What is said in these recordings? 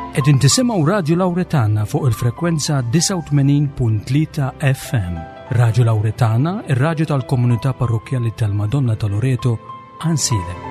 Qegħdin tisimgħu Radju Lawretana fuq il-frekwenza 89.3 FM. Radju Lawretana, ir-radju tal-komunità parrokkjali tal-Madonna ta' Loreto, Ansilem.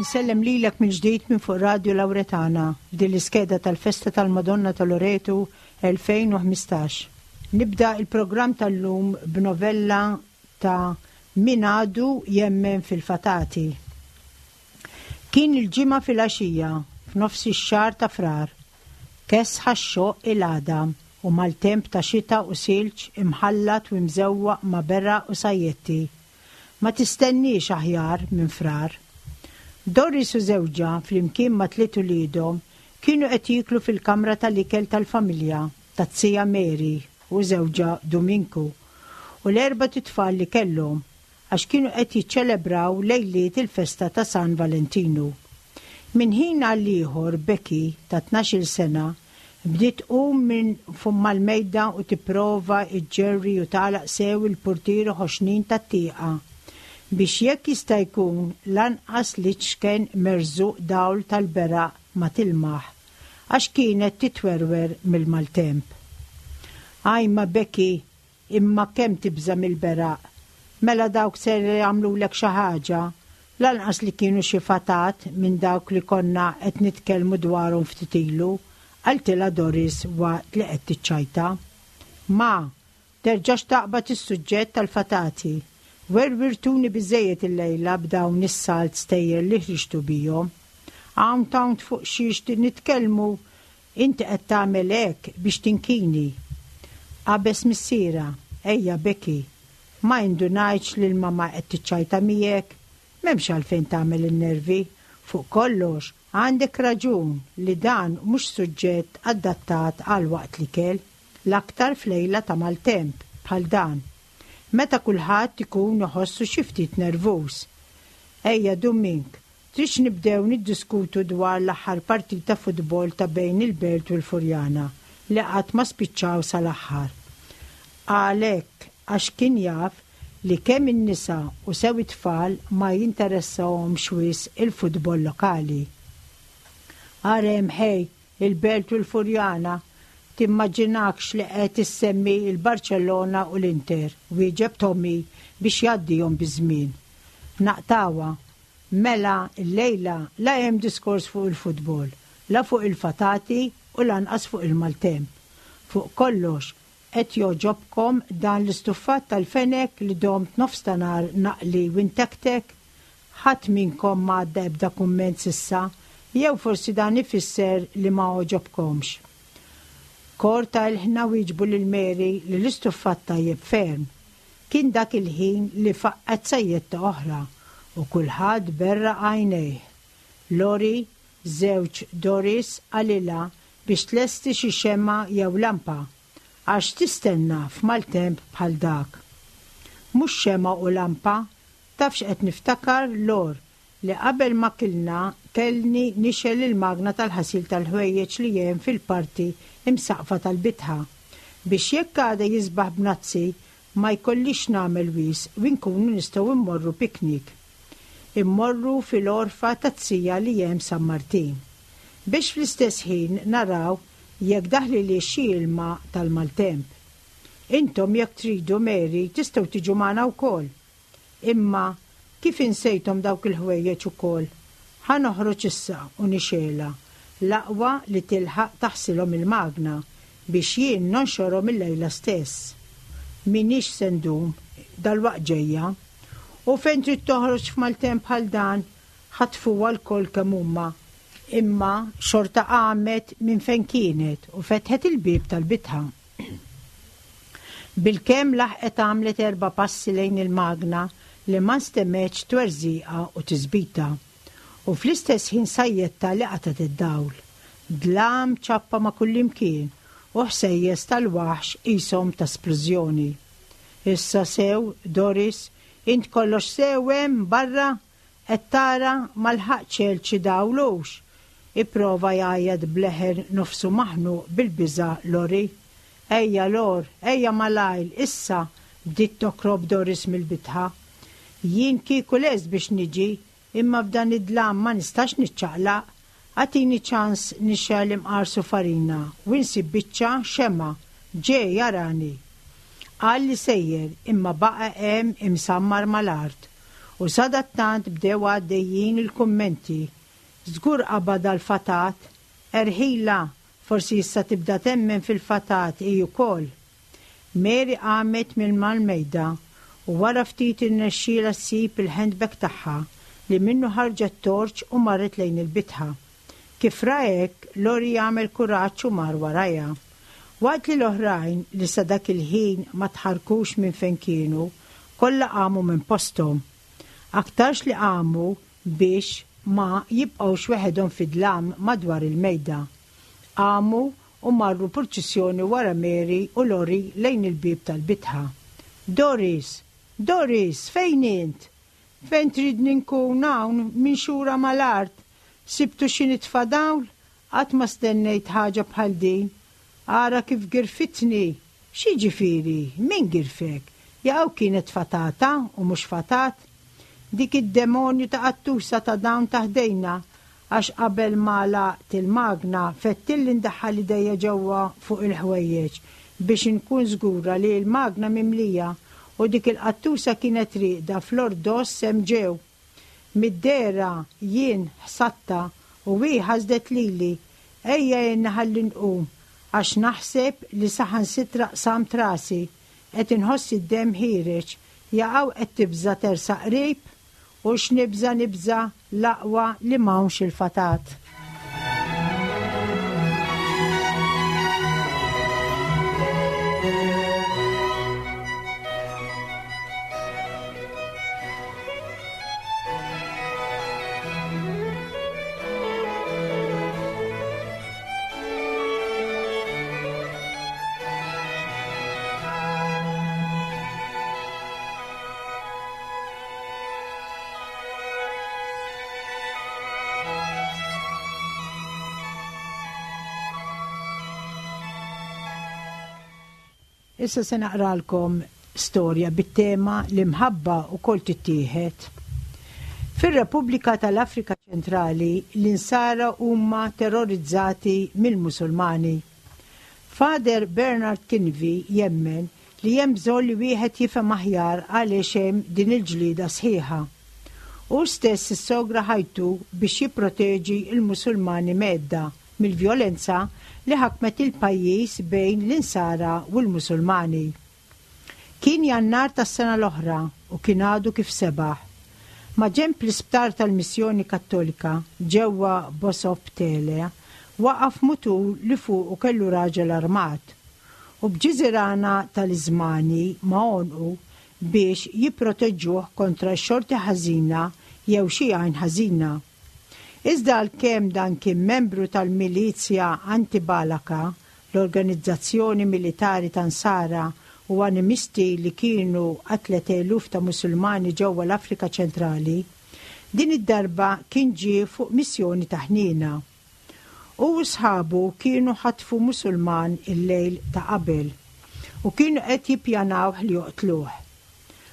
Insellem lilek mill-ġdid minn fuq Radio Lawretana f'din l-iskeda tal-Festa tal-Madonna ta' Loretu 2015. Nibda il-programm tal-lum b'novella ta' Min għadu jemmen fil-fatati. Kien il-Ġimgħa filgħaxija, f'nofs ix-xahar ta' Frar. Kesħa x-xoqq il-għadam u maltemp ta' xita u silġ imħallat u imżewwaq ma' beraq u sajjetti. Ma tistenniex aħjar minn Frar. Doris u żewġha flimkien ma' tliet uliedhom kienu qed jieklu fil-kamra tal-ikel tal-familja taz-zija Mary u żewġha Duminku u l-erbat itfal li kellhom għax kienu qed jiċċelebraw lejliet il-festa ta' San Valentinu. Minn ħin għal ieħor Becky ta' tnax-il sena bdiet tqum minn fuq mal-mejda u tipprova ġġerri u tagħlaq sew il-purtieri ħoxnin tat-tieqa biex jekk jista' jkun lanqas l-iċken merżuq dawl tal-beraq ma tilmaħ għax kienet titwerwer mill-maltemp. Ajma Becky Imma kemm tibża' mill-beraq! Mela dawk ser jagħmlulek xi ħaġa? Lanqas li kienu xi fatat minn dawk li konna qed nitkellmu dwarhom ftit ilu, qaltilha Doris waqt li qed tiċċajta. Ma, terġax taqbad is-suġġett tal-fatati. Werwirtuni biżżejjed illejla b'dawn is-salt stejjer li ħriġtu bihom. Hawn t'hawn fuq xiex nitkellmu Inti qed tagħmel hekk biex tinkini. Qabeż missierha, Ejja Becky, ma indunajtx li l-mamà qed tiċċajta miegħek? M'hemmx għalfejn tagħmel in-nervi. Fuq kollox, għandek raġun li dan mhux suġġett adattat għal waqt l-ikel, l-aktar f'lejla ta' maltemp bħal dan, meta kulħadd ikun iħossu xi ftit nervuż. Ejja Dumink, Tridx nibdew niddiskutu dwar l-aħħar partita futbol ta' bejn il-Belt u l-Furjana li qatt ma spiċċaw sal-aħħar. Qal hekk għax kien jaf li kemm in-nisa u sew it-tfal ma jinteressahomx wisq il-futbol lokali. Ara hemm ħej, il-Belt u l-Furjana, timmaġinakx li qed issemmi l-Barċellona u l-Inter, wieġeb Tommy biex jgħaddihom biż-żmien. Naqtgħuha. Mela llejla la hemm diskors fuq il-futbol, la fuq il-fatati u lanqas fuq il-maltemp. Fuq kollox, qed jogħġobkom dan l-istuffat tal-fenek li domt nofs ta' nhar naqli u ntektek? Ħadd minnkom ma għadda ebda kumment s'issa, jew forsi dan ifisser li ma għoġobkomx? Kor ta' ilħna wieġbu lil Mary li l-istuffat tajjeb ferm. Kien dak il-ħin li faqqgħet sajjetta oħra u kulħadd berraq għajnejh. Lori, żewġ Doris, qalilha biex tlesti xi xemgħa jew lampa, għax x'tistenna f'maltemp bħal dak. Mhux xemgħa u lampa, taf x'qed niftakar, Lor, li qabel ma kilna kellni nixgħel il-magna tal-ħasil tal-ħwejjeġ li hemm fil-parti imsaqqfa tal-bitħa, biex jekk għada jisbaħ b'nazzi ma jkollix nagħmel wisq u nkunu nistgħu mmorru picnic. Immorru fil-għorfa taz-zija li hemm San Martin. Biex fl-istess ħin naraw jekk daħlilhiex xi ilma tal-maltemp. Intom jekk tridu Mary tistgħu tiġu magħna wkoll. Imma kif insejthom dawk il-ħwejjeġ ukoll? Ħa noħroġ issa u nixgħelha, l-aqwa li tilħaq taħsilhom il-magna biex jien nonxorhom illejla stess. M'iniex se ndum, dalwaqt ġejja. U fejn trid toħroġ f'maltemp bħal dan? Ħatfuha lkoll kemm huma. Imma xorta qamet minn fejn kienet u fetħet il-bieb tal-bitħa. Bilkemm laħqet għamlet erba' passi lejn il-magna li ma nstemgħetx twerżiqa u tisbita. U fl-istess ħin sajjetta li qatgħet id-dawl. Dlam ċappa ma' kullimkien u ħsejjes tal-waħx qishom ta' splużjoni. Issa sew, Doris, int kollox sew hemm barra? Qed tara ma lħaqtx għelt xi dawl hux? Ipprova jgħajjat b'leħen nofsu maħnuq bil-biża' Lori. Ejja, Lor, ejja malajr, issa! bdiet tokrob Doris mill-bitħa. Jien kieku lest biex niġi, imma f'dan id-dlam ma nistax niċċaqlaq. Agħtini ċans nixgħel imqar sufarina u insib biċċa xemgħa. Ġej, arani! Qal li sejjer, imma baqa' hemm imsammar mal-art. U sadattant bdew għaddejjin il-kummenti. Żgur qabadha l-fatat. Erħilha, forsi issa tibda temmen fil-fatat hi wkoll. Mary qamet minn mal-mejda u wara ftit irnexxielha ssib il-handbag tagħha li minnu ħarġet torch u marret lejn il-bitħa. Kif ra hekk, Lori għamel kuraġġ u mar warajha. Waqt li l-oħrajn, li sa dak il-ħin ma tħarrkux minn fejn kienu, kollha qamu minn posthom. Aktarx li qamu biex ma jibqgħux weħedhom fid-dlam madwar il-mejda. Qamu u marru purċissjoni wara Mary u Lori lejn il-bieb tal-bitħa. Doris! Doris! Fejn int? Fejn tridni nkun hawn minxura mal-art? Sibtu xi nitfa' dawl? Qatt ma stennejt ħaġa bħal din. Ara kif girfitni! X'jiġifieri? Min girfek? Jaqaw kienet fatata u mhux fatat? Dik id-demonju ta' qattusa ta' dawn ta' ħdejna għax qabel ma għalaqt il-magna fettilli ndaħħal idejja ġewwa fuq il-ħwejjeġ biex inkun żgura li l-magna mimlija u dik il-qattusa kienet rieqda fl-ordoss hemm ġew. Mid-dehra jien ħsadtha u hi ħasdet lili. Ejja għinni ħalli nqum għax naħseb li saħansitra qsamt rasi. Qed inħoss id-demm ħiereġ. Jaqaw qed tibża' tersaq qrib? U x'nibża' nibża' l-aqwa li m'hawnx il-fatat. Issa se naqralkom storja bit-tema l-imħabba wkoll tittieħed. Fir-Repubblika tal-Afrika Ċentrali l-Insara huma terrorizzati mill-Musulmani. Father Bernard Kinvi jemmen li hemm bżonn li wieħed jifhem aħjar għaliex hemm din il-ġlieda sħiħa. Hu stess issogra ħajtu biex jipproteġi l-Musulmani mhedda mill-vjolenza li ħakmet il-pajjiż bejn l-Insara u l-Musulmani. Kien Jannar tas-sena l-oħra u kien għadu kif sebaħ. Maġenb l-isptar tal-Missjoni Kattolika ġewwa Bosoptele waqaf mutur li fuqu kellu raġel armat u b'ġiżirana taliżmani ma' għonqu biex jipproteġġuh kontra x-xorti ħażina jew xi għajn ħażina. Iżda għalkemm dan kien membru tal-milizja anti-Balaka, l-organizzazzjoni militari ta' Nsara u animisti li kienu qatlet eluf ta' Musulmani ġewwa l-Afrika Ċentrali, din id-darba kien ġie fuq missjoni ta' ħniena. Hu u sħabu kienu ħatfu Musulman il-lejl ta' qabel u kienu qed jippjanawh li joqtluh.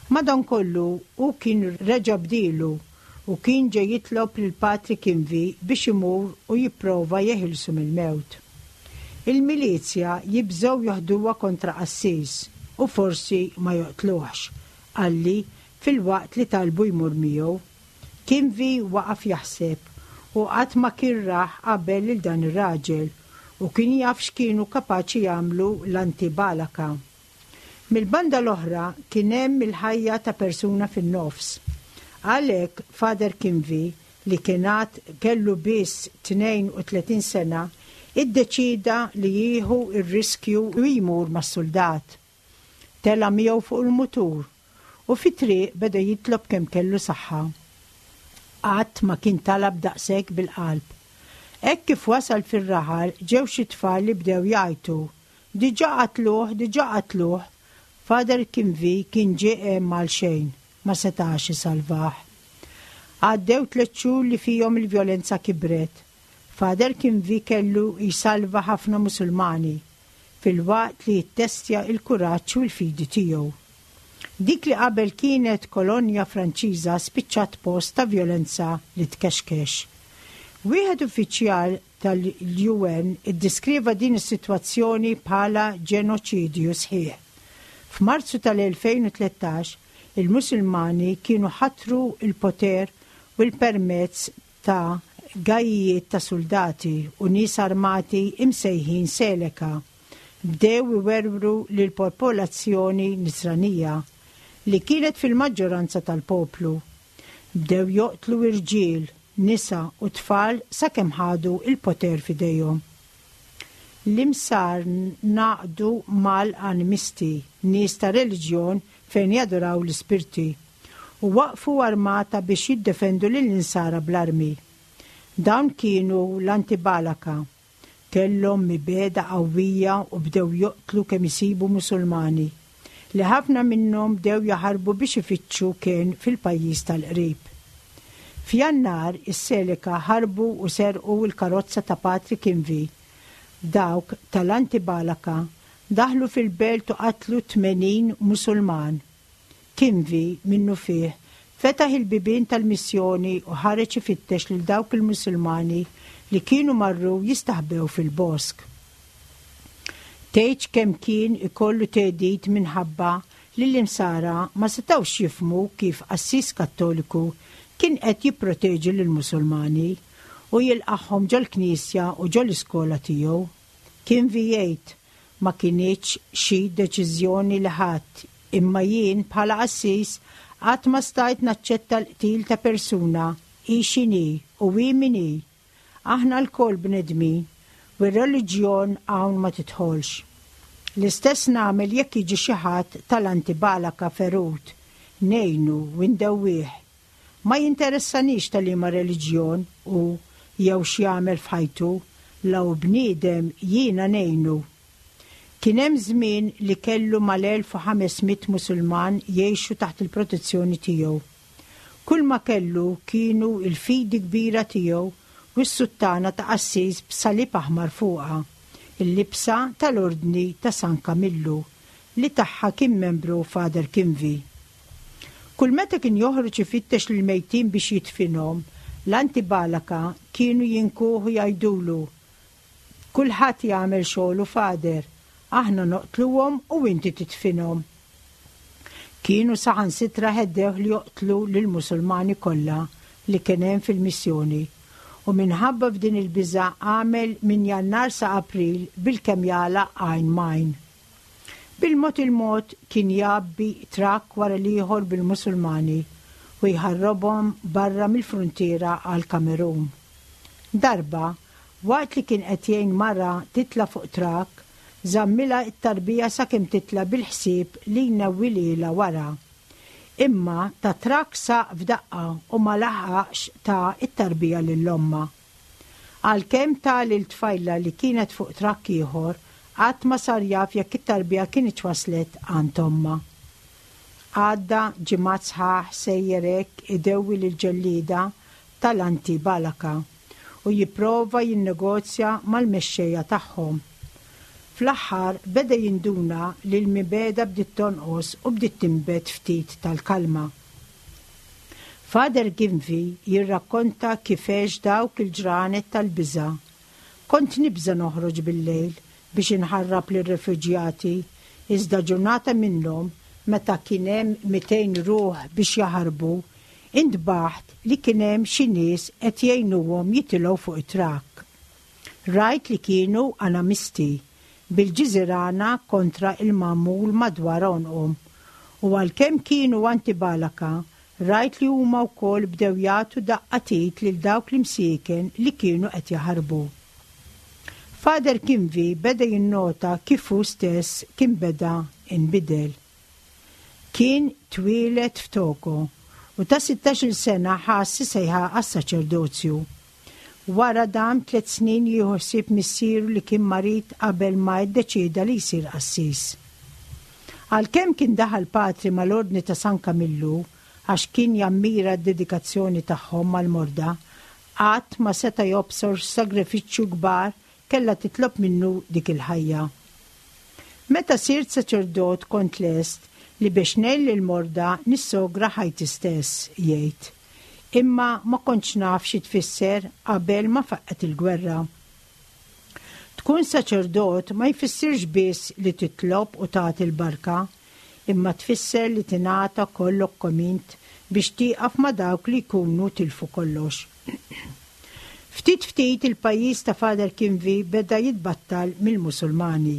Madankollu, hu kien reġa' bdielu u kien ġie jitlob lil Patri Kinvi biex imur u jipprova jeħilsu mill-mewt. Il-milizja jibżgħu joħduha kontra qassis u forsi ma joqtluhx, qalli filwaqt li talbu jmur miegħu. Kinvi waqaf jaħseb u qatt ma kien rah qabel lil dan ir-raġel u kien jaf x'kienu kapaċi jagħmlu l-anti-Balaka. Mill-banda l-oħra kien hemm il-ħajja ta' persuna fin-nofs. Għalhekk Father Kinvi, li kien għad kellu biss 32 sena, iddeċieda li jieħu r-riskju u jmur mas-suldat. Tela' miegħu fuq il-mutur u fit-triq beda jitlob kemm kellu saħħa. Qatt ma kien talab daqshekk bil-qalb. Hekk kif wasal fir-raħal ġew xi tfal li bdew jgħajtu, Diġà qatluh, diġà qatluh! Father Kinvi kien ġie hemm għalxejn, ma setax isalvah. Għaddew tlett xhur li fihom il-vjolenza kibret. Father Kinvi kellu jsalva ħafna Musulmani, filwaqt li jittestja l-kuraġġ u l-fidi tiegħu. Dik li qabel kienet kolonja Franċiża spiċċat post ta' vjolenza li tkexkex. Wieħed uffiċjal tal-UN iddeskriva din is-sitwazzjoni bħala ġenoċidju sħiħ. F'Marzu tal-2013, il-Musulmani kienu ħatru l-poter u l-permezz ta' gajijiet ta' suldati u nies armati imsejħin Seleka, bdew iwerwru lill-popolazzjoni Nisranija, li kienet fil-maġġoranza tal-poplu. Bdew joqtlu irġiel, nisa u tfal sakemm ħadu l-poter f'idejhom. L-imsar ngħaqdu mal-animisti, nies ta' reliġjon fejn jaduraw l-ispirti, u waqqfu armata biex jiddefendu lill-Insara bl-armi. Dawn kienu l-Anti-Balaka. Kellhom mibegħda qawwija u bdew joqtlu kemm isibu Musulmani, li ħafna minnhom bdew jaħarbu biex ifittxu kenn fil-pajjiż tal-qrib. F'Jannar, is-Seleka ħarbu u serqu l-karozza ta' Patri Kinvi. Dawk tal-Anti-Balaka daħlu fil-belt u qatlu 80 Musulman. Kinvi, minnufih, fetaħ il-bibien tal-missjoni u ħareġ ifittex lil dawk il-Musulmani li kienu marru jistaħbew fil-bosk. Tgħidx kemm kien ikollu theddid minħabba li l-Insara ma setgħux jifhmu kif qassis Kattoliku kien qed jipproteġi lill-Musulmani u jilqagħhom ġol-knisja u ġol-iskola tiegħu. Kinvi jgħid, Ma kinitx xi deċiżjoni li ħadt, imma jien bħala qassis qatt ma stajt naċċetta l-qtil ta' persuna, hi x'inhi u hi min hi. Aħna lkoll bnedmin u r-reliġjon hawn ma tidħolx. L-istess nagħmel jekk jiġi xi ħadd tal-anti-Balaka ferut, ngħinu u ndewwih. Ma jinteressanix ta' liema reliġjon hu jew x'jagħmel f'ħajtu, la hu bniedem jiena ngħinu. Kien hemm żmien li kellu mal-1,500 Musulman jgħixu taħt il-protezzjoni tiegħu. Kulma kellu kienu l-fidi kbira tiegħu u s-suttana ta' qassis b'salib aħmar fuqha, il-libsa tal-Ordni ta' San Kamillu li tagħha kien membru Father Kinvi. Kull meta kien joħroġ ifittex lill-mejtin biex jidfinhom, l-anti-Balaka kienu jinkuh u jgħidulu, Kulħadd jagħmel xogħlu Father, aħna noqtluhom u inti tidfinhom. Kienu saħansitra heddewh li joqtlu lill-Musulmani kollha li kien hemm fil-missjoni u minħabba f'din il-biża' għamel minn Jannar sa April bilkemm jagħlaq għajn m'għajn. Bil-mod il-mod kien jgħabbi trakk wara l-ieħor bil-Musulmani u jħarrobhom barra mill-fruntiera għall-Kamerun. Darba, waqt li kien qed jgħin mara titla' fuq trakk, żammilha t-tarbija sakemm titla' bil-ħsieb li jnewwilhielha wara. Imma tat-trakk saq f'daqqa u ma laħaqx ta t-tarbija lil ommha. Għalkemm ta lil tfajla li kienet fuq trakk ieħor, qatt ma sar jaf jekk it-tarbija kinitx waslet għand ommha. Għadda ġimgħat sħaħ sejjer hekk idewwi lill-ġellieda tal-anti-Balaka u jipprova jinnegozja mal-mexxejja tagħhom. Fl-aħħar beda jinduna li l-mibegħda bdiet tonqos u bdiet tinbet ftit tal-kalma. Father Gimvi jirrakkonta kif għex dawk il-ġranet tal-biża'. Kont nibża' noħroġ bil-lejl biex inħarrab lir-refuġjati, iżda ġurnata minnhom, meta kien hemm 200 ruħ biex jaħarbu, intbaħt li kien hemm xi nies qed jgħinuhom jitilgħu fuq it-trakk. Rajt li kienu anamisti. bil-ġiżirana kontra il-magħmul madwar għonqhom. U għalkemm kienu anti-Balaka, rajt li huma wkoll bdew jagħtu daqqa t'id lil dawk l-imsieken li kienu qed jaħarbu. Father Kinvi beda jinnota kif hu stess kien beda inbidel. Kien twieled f'Togo u ta' sittax-il sena ħass is-sejħa għas-saċerdozju. Wara dam tliet snin jieħu ħsieb missieru li kien marid qabel ma iddeċieda li jsir qassis. Għalkemm kien daħal patri mal-Ordni ta' San Kamillu għax kien jammira d-dedikazzjoni tagħhom mal-morda, qatt ma seta' jobsor x'sagrifiċċju kbar kellha titlob minnu dik il-ħajja. Meta sirt saċerdot kont lest li biex ngħin lill-morda nissogra ħajti stess, jgħid. Imma ma kontx naf xi tfisser qabel ma faqqgħet il-gwerra. Tkun saċerdot ma jfissirx biss li titlob u tagħti l-barka, imma tfisser li tingħata kollok kemm int biex tieqaf ma' dawk li jkunu tilfu kollox. Ftit ftit il-pajjiż ta' Father Kinvi beda jitbattal mill-Musulmani.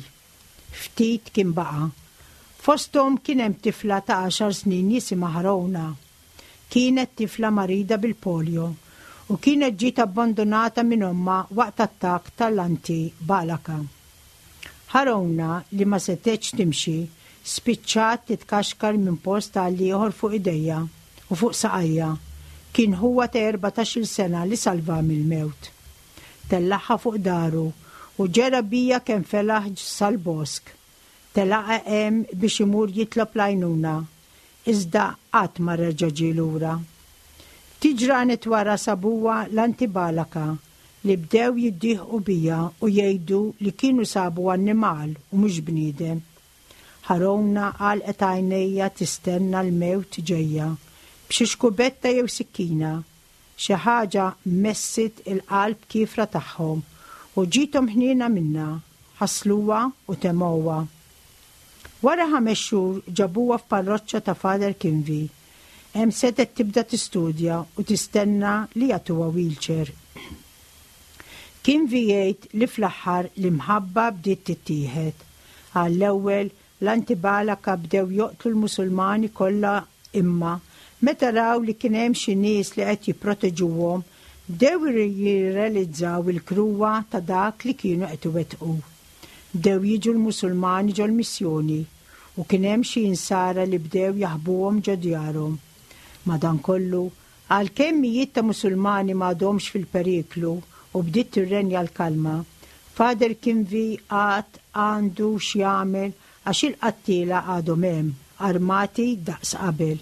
Ftit kien baqa'. Fosthom kien hemm tifla ta' għaxar snin jisimha Harona. Kienet tifla marida bil-polio u kienet ġiet abbandunata minn ommha waqt attakk tal-anti-Balaka. Harona, li ma setgħetx timxi, spiċċat titkaxkar minn post għal ieħor fuq idejha u fuq saqajha. Kien ħuha ta' erbatax-il sena li salvaha mill-mewt. Tellagħha fuq daru u ġera bija kemm felaħ sal-bosk. Telaqha hemm biex imur jitlob l-għajnuna, iżda qatt ma reġa' ġie lura. Ftit ġranet wara sabuha l-antibalaka li bdew jiddieħqu bija u jgħidu li kienu sabu annimal u mhux bniedem. Ħarona għalqet għajnejha tistenna l-mewt ġejja, b'xi xkubetta jew sikkina. Xi ħaġa messit il-qalb kiefra tagħhom u ġiethom ħniena minnha, ħasluha u temgħuha. Wara ħames xhur ġabuha f'parroċċa ta' Father Kinvi. Hemm setgħet tibda tistudja u tistenna li jagħtuha wheelchair. Kinvi jgħid li fl-aħħar l-imħabba bdiet tittieħed. Għall-ewwel, l-anti-Balaka bdew joqtlu l-Musulmani kollha imma meta raw li kien hemm xi nies li qed jipproteġuhom, bdew jirrealizzaw il-kruha ta' dak li kienu qed iwettqu. Bdew jiġu l-Musulmani ġol-missjoni u kien hemm xi Insara li bdew jaħbuhom ġo djarhom. Madankollu, għalkemm mijiet ta' Musulmani m'għadhomx fil-periklu u bdiet tirrenja l-kalma, Father Kinvi għad għandu x'jagħmel għax il-qattiela għadhom hemm, armati daqs qabel.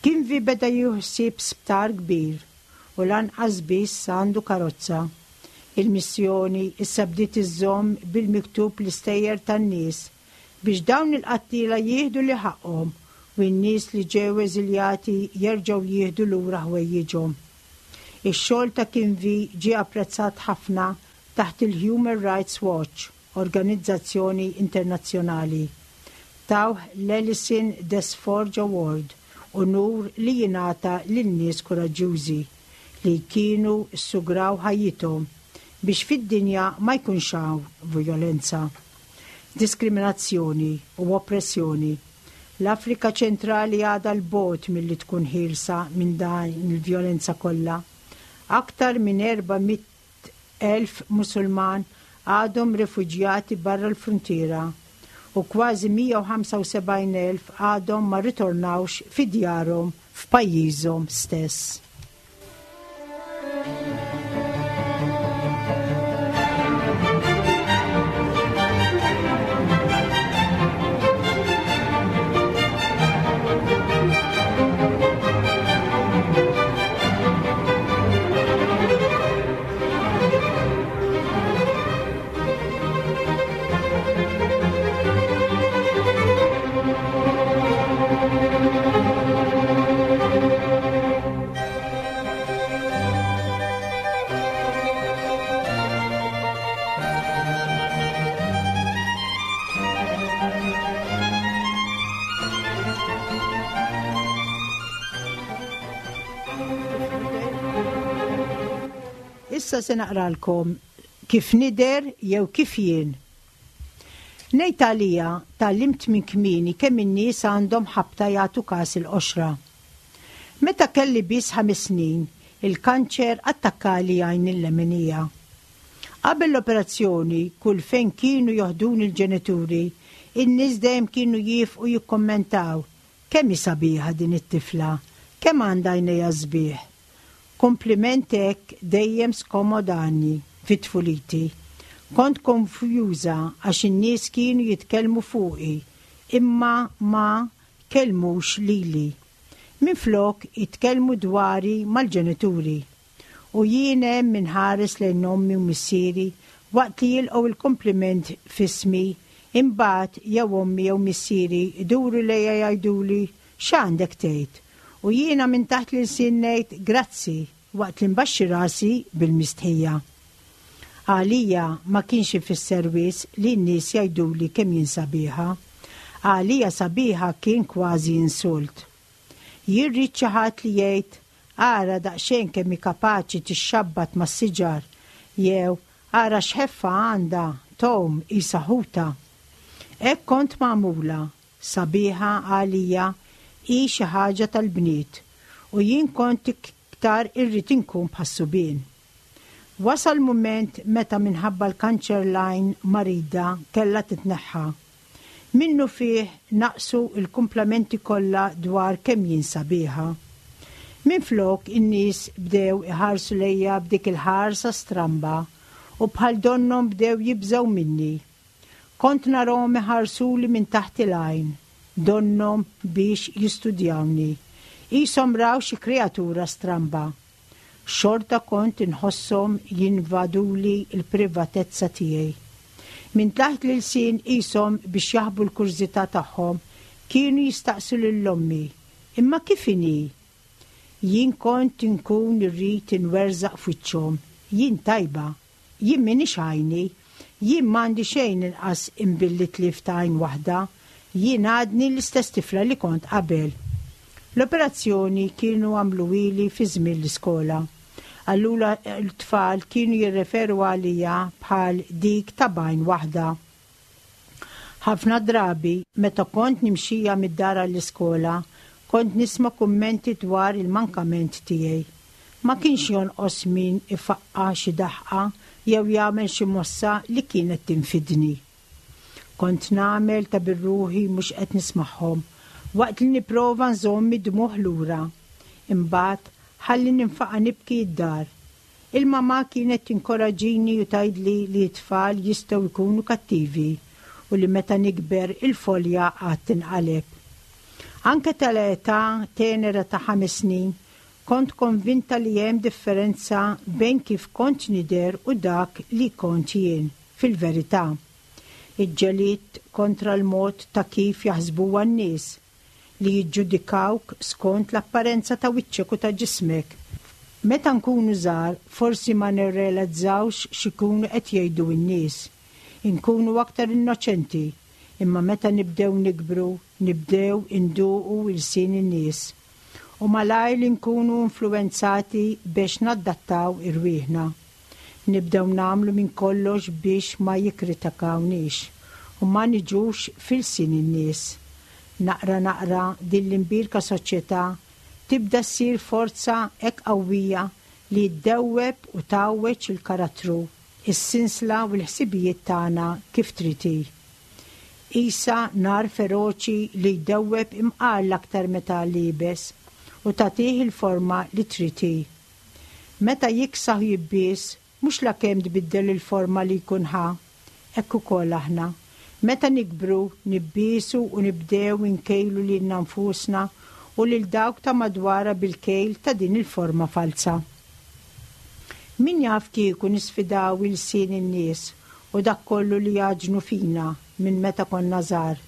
Kinvi beda jieħu ħsieb sptar kbir u lanqas biss għandu karozza. Il-missjoni issa bdiet iżżomm bil-miktub l-istejjer tan-nies biex dawn il-qattiela jieħdu li ħaqqhom u n-nies li ġew eżiljati jerġgħu jieħdu lura ħwejjiġhom. Ix-xogħol ta' Kinvi ġie apprezzat ħafna taħt il-Human Rights Watch, organizzazzjoni internazzjonali. Tawh l-Alison Des Forges Award, unur li jingħata lil nies kuraġġjużi li kienu ssugraw ħajjithom biex fid-dinja ma jkunx hawn vjolenza, diskriminazzjoni u oppressjoni. L-Afrika Ċentrali għadha 'l bogħod milli tkun ħielsa minn din il-vjolenza kollha. Aktar minn 400,000 Musulman għadhom refuġjati barra l-fruntiera u kważi 175,000 għadhom ma rritornawx fi djarhom f'pajjiżhom stess. Issa se naqralkom kif nidher jew kif jien. Ngħid għalija, tgħallimt minn kmieni kemm in-nies għandhom ħabta jagħtu kas il-qoxra. Meta kelli biss ħames snin, il-kanċer attakkali għajni l-leminija. Qabel l-operazzjoni, kull fejn kienu joħduni l-ġenituri, in-nies dejjem kienu jiefqu jikkummentaw, Kemm hi sabiħa din it-tifla, kemm għandha għajnejha sbieħ. Kumpliment hekk dejjem skomodani fi tfuliti. Kont konfjuża għax in-nies kienu jitkellmu fuqi imma ma kellmux lili. Minflok jitkellmu dwari mal-ġenituri. U jien hemm inħares lejn ommi u missieri waqt li jilqgħu l-kumpliment f'ismi, imbagħad jew ommi jew missieri jduru lejja jgħiduli x'għandek tgħid? U jiena minn taħt l-ilsien ngħid grazzi waqt li nbaxxi rasi bil-mistħija. Għalija ma kienx ifisser wisq li n-nies jgħiduli kemm jien sabiħa. Għalija sabiħa kien kważi insult. Jien ridt xi ħadd li jgħid Ara daqsxejn kemm hi kapaċi tixxabbat mas-siġar jew Ara x'ħeffa għandha, tgħum qisha ħuta. Hekk kont magħmula, sabiħa għalija hi xi ħaġa tal-bniet u jien kont iktar irrid inkun bħas-subien. Wasal mument meta minħabba l-kanċer l-għajn marida kellha titneħħa. Minnufih naqsu l-kumplamenti kollha dwar kemm jien sabiħa. Minflok in-nies bdew iħarsu lejja b'dik il-ħarsa stramba u bħal donnhom bdew jibżgħu minni. Kont narahom iħarsuli minn taħt il-għajn, donnhom biex jistudjawni. Qishom raw xi kreatura stramba. Xorta kont inħosshom jinvaduli l-privatezza tiegħi. Minn taħt l-ilsien qishom biex jaħbu l-kurżità tagħhom kienu jistaqsu lil ommi, Imma kif inhi? Jien kont inkun irrid inwerżaq f'wiċċhom, Jien tajba. Jien m'iniex għajni. Jien m'għandi xejn inqas imbilli tlift għajn waħda. Jien għadni l-istess tifla li kont qabel. L-operazzjoni kienu għamluhieli fi żmien l-iskola. Allura t-tfal kienu jirreferu għalija bħal dik ta' b'għajn waħda. Ħafna drabi, meta kont nimxija mid-dar għall-iskola, kont nisma' kummenti dwar il-mankament tiegħi. Ma kienx jonqos min ifaqqa' xi daħqa jew jagħmel xi mossa li kienet tinfidni. Kont nagħmel ta' bir-ruħi mhux qed nismagħhom, waqt li nipprova nżomm id-dmugħ lura. Imbagħad, ħalli ninfaqa' nibki d-dar. Il-mamà kienet tinkoraġġini u tgħidli li t-tfal jistgħu jkunu kattivi u li meta nikber il-folja għad tinqaleb. Anke tal-età tenera ta' ħames snin, kont konvinta li hemm differenza bejn kif kont nidher u dak li kont jien, fil-verità. Iġġelidt kontra l-mod ta' kif jaħsbuha n-nies. li jiġġudikawk skont l-apparenza ta' wiċċek u ta' ġismek. Meta nkunu żgħar forsi ma nirrealizzawx x'ikunu qed jgħidu n-nies. Inkunu aktar innoċenti, imma meta nibdew nikbru nibdew induqu ilsien in-nies. U malajr li nkunu influwenzati bex naddattaw irwieħna. Nibdew nagħmlu minn kollox biex ma jikkritikawniex u ma niġux f'ilsien in-nies. Naqra naqra din l-imbierka soċjetà tibda ssir forza hekk qawwija li ddewweb u tgħawweġ il-karattru, is-sinsla u l-ħsibijiet tagħna kif trid hi. Qisha nar feroċi li jdewweb imqar l-aktar metall iebes u tagħtih il-forma li trid hi. Meta jiksaħ u jibbies, mhux lakemm tbiddel il-forma li jkun ħa. Hekk ukoll aħna. Meta nikbru, nibbiesu u nibdew inkejlu lilna nfusna u lil dawk ta' madwara bil-kejl ta' din il-forma falza. Min jaf kieku nisfidaw ilsien in-nies u dak kollu li jgħaġġnu fina minn meta konna żgħar.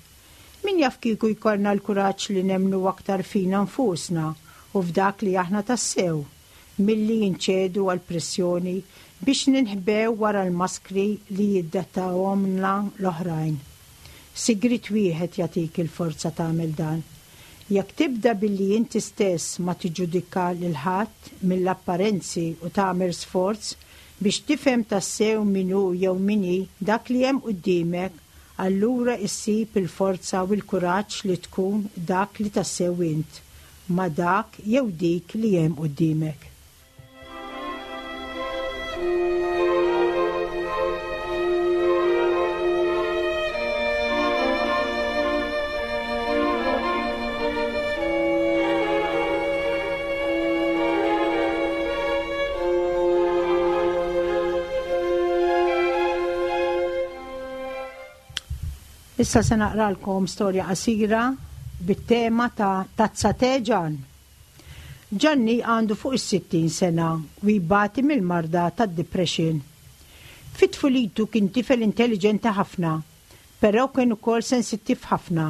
Min jaf kieku jkollna l-kuraġġ li nemmnu aktar fina nfusna u f'dak li aħna tassew, milli inċedu għall-pressjoni biex ninħbew wara l-maskri li jiddettawhomlna l-oħrajn. Sigriet wieħed jagħtik il-forza tagħmel dan. Jekk tibda billi inti stess ma tiġġudika lil ħadd mill-apparenzi u tagħmel sforz biex tifhem tassew min hu jew min hi dak li hemm quddiemek, Allura issib il-forza u l-kuraġġ li tkun dak li tassew int, ma' dak jew dik li hemm quddiemek. Issa se naqralkom storja qasira bit-tema ta' Tazza Te Ġann. Ġanni għandu fuq is-60 sena u jbati mill-marda tad-depression. Fi tfulitu kien tifel intelliġenti ħafna, però kien ukoll sensittiv ħafna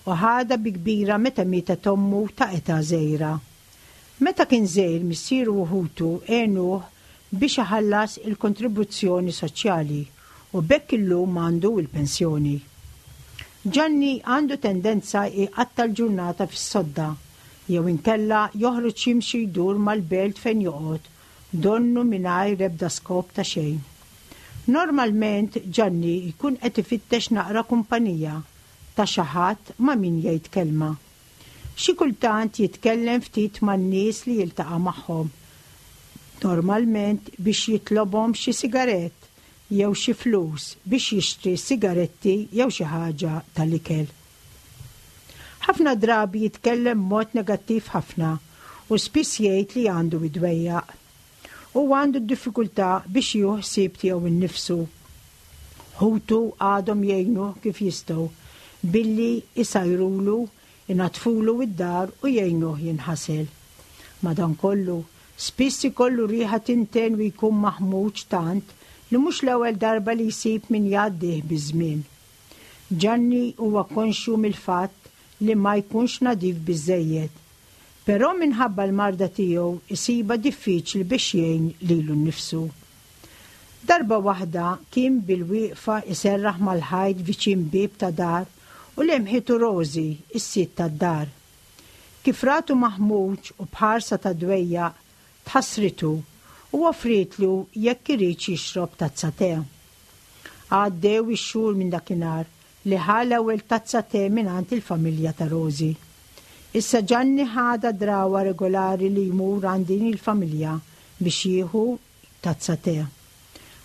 u ħadha bi kbira meta mietet ommu ta' età żgħira. Meta kien żgħir missieru u ħutu għenuh biex iħallas il-kontribuzzjoni soċjali u b'hekk illum għandu l-pensjoni. Ġanni għandu tendenza jqatta' l-ġurnata fis-sodda jew inkella joħroġ jimxi jdur mal-belt fejn joqgħod donnu mingħajr ebda skop ta' xejn. Normalment Ġanni jkun qed ifittex naqra kumpanija ta' xi ħadd ma' min jgħid kelma. Xi kultant jitkellem ftit man-nies li jiltaqa' magħhom, normalment biex jitlobhom xi sigarett jew xi flus biex jixtri sigaretti jew xi ħaġa tal-ikel. Ħafna drabi jitkellem b'mod negattiv ħafna u spiss jgħid li għandu d-dwejjaq. Huwa għandu d-diffikultà biex jieħu ħsieb tiegħu nnifsu. Ħutu għadhom jgħinuh kif jistgħu billi jsajrulu, inaddfulu d-dar u jgħinuh jinħasel. Madankollu, spiss ikollu riħa tinten u jkun maħmuġ tant li mhux l-ewwel darba li jsib min jgħaddih biż-żmien. Ġanni huwa konxju mill-fatt li ma jkunx nadif biżżejjed. Però minħabba l-marda tiegħu jsibha diffiċli biex jgħin lilu nnifsu. Darba waħda kien bil-wieqfa jserraħ mal-ħajt viċin bieb ta' dar u lemħitu Rosie, is-sid tad-dar. Kif ratu maħmuġ u b'ħarsa ta' dwejjaq, tħassritu u offrietlu jekk iridx jixrob tazza te. Għaddew ix-xhur minn dakinhar li ħa l-ewwel tazza te mingħand il-familja ta' Rosie. Issa Ġanni ħadha drawwa regolari li jmur għand din il-familja biex jieħu tazza te.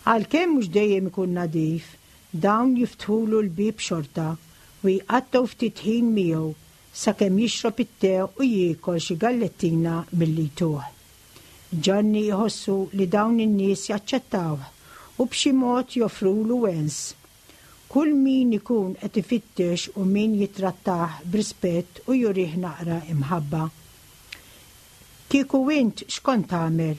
Għalkemm mhux dejjem ikun nadif, dawn jiftħulu l-bieb xorta u jqattgħu ftit ħin miegħu sakemm jixrob it-te u jiekol xi gallettina milli jtuh. Ġanni jħossu li dawn in-nies jaċċettawh u b'xi mod joffrulu wens. Kull min ikun qed ifittex u min jittrattah b'rispett u jurih naqra imħabba. Kieku int x'kont tagħmel?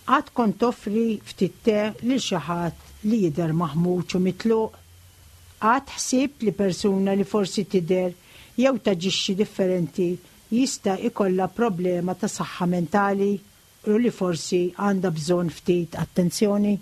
Qatt kont toffri ftit te lil xi ħadd li jidher maħmuġ u mitluq? Qatt ħsibt li persuna li forsi tidher jew taġixxi differenti jista' jkollha problema ta' saħħa mentali u li forsi għandha bżonn ftit attenzjoni?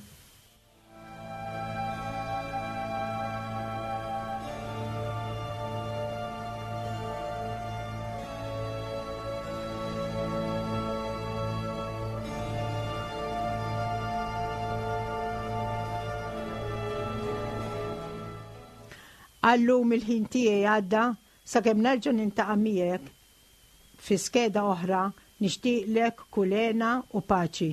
Għallum il-ħin tiegħi għadda sakemm nerġa' nintaqa' miegħek fi skeda oħra nixtieqlek kull hena u paċi.